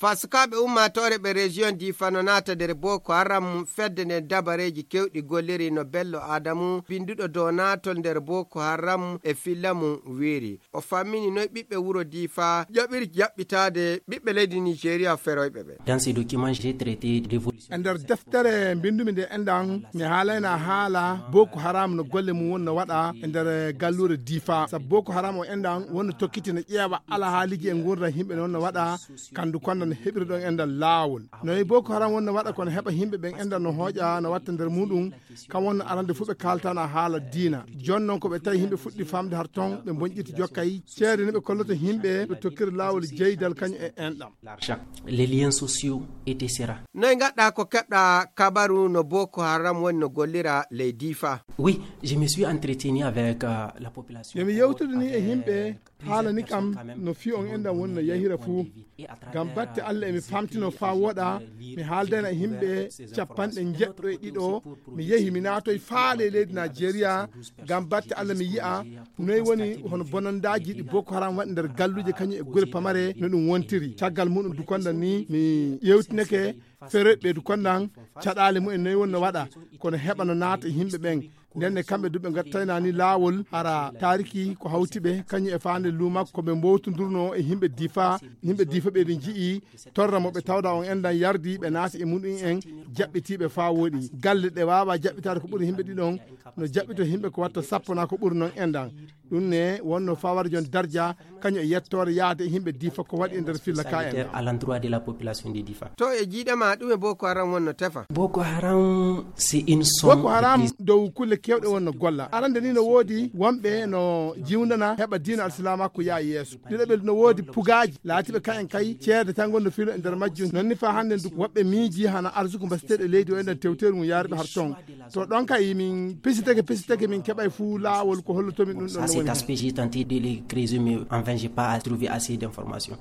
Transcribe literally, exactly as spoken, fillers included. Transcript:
Faa sukaaɓe ummaatoore ɓe région Difa no naata nder Boko Haram, fedde nden dabareeji kewɗi golliri no Bello Adamu, binnduɗo dow naatol nder Boko Haram e filla mum wiiri. O fammini noy ɓiɓɓe wuro Difa ƴoɓiri jaɓɓitaade ɓiɓɓe leydi Nigeria feroyɓe ɓe. Dans ces documents, j'ai traité d'évolution. E nder deftere mbinndumi nde enɗan, mi haalayna haala Boko Haram no golle mum wonno waɗa e nder galluure Difa. Sabu Boko Haram o enɗan wonno tokkiti no ƴeewa alhaaliiji e nguurndam yimɓe no wonno waɗa, kandu konda no heɓiri ɗon enɗan laawol. Noy Boko Haram wonno waɗa kono heɓa yimɓe ɓen enɗan no hooƴa no watta nder muɗum, kam wonno arande fuu ɓe kaaltana haala diina. Jooni noon ko ɓe tawi yimɓe fuɗɗi famde har ton, ɓe bonƴiti jokkay. Ceede no ɓe kolloto yimɓe, ɓe tokkira laawol jeydal kañum e enɗam. L'argent, les liens sociaux, et cetera. Noy ngaɗɗa ko keɓɗa kabaru no Boko Haram woni no gollira ley Difa? Oui, je me suis entretenu avec, euh, la population. Yo mi yewtidini e yimɓe, haalani kam no fii on enɗan woni no yahira fuu. Ngam batte Allah emi famtino faa wooɗa, mi haaldayna e yimɓe capanɗe njeɗɗo e ɗiɗo, mi yehi mi naatoy faale leydi Najeriya, ngam batte Allah mi yi'a noy woni hono bonondaaji ɗi Boko Haram waɗi nder galluuje kañum e gure pamare no ɗum wontiri. Caggal muɗum Dukonda ni mi ƴeewtineke feroyɓe Dukondan caɗaale mumen noy wonno waɗa, kono heɓa no naata e yimɓe ɓen. Nden ne kamɓe du ɓe ngattaynani laawol hara taariki ko hawti ɓe, kañum e faande luumak ko ɓe mbowtondurno e yimɓe Difa, yimɓe Difa ɓe ɗi nji'i torra mo ɓe tawda on enɗan yardi ɓe naati e muɗum en jaɓɓitiiɓe faa wooɗi. Galle ɗe waawa jaɓɓitaade ko ɓuri yimɓe ɗiɗon, no jaɓɓito yimɓe ko watta sappo naa ko ɓuri non enɗan. Ɗum ne wonno faa waɗa jon darja kañum e yettoore yaade e yimɓe Difa ko waɗi e nder filla ka enɗan. À l'endroit de la population de Difa. To e jiiɗe ma ɗum e Boko Haram wonno tefa? Boko Haram, c'est une somme. Boko Haram dow kulle kewɗe wonno golla. Arande ni no woodi wonɓe no jiwndana heɓa diina alsilaama ko yaa yeeso. Ɗiɗaɓel no woodi pugaaji laatiiɓe kayen kay ceede tan ngonno filo e nder majjum. Non ni faa hannde ndu woɓɓe miiji hana arsuku mbasiteeɗo e leydi o enɗan tewteeru ngun yaariɓe har ton. To ɗon kay min pisitake, pisitake min keɓay fuu laawol ko hollotomin ɗum ɗon no woni. Ça, c'est aspect, j'ai tenté de le creuser, mais en vain, j'ai pas trouvé assez d'informations.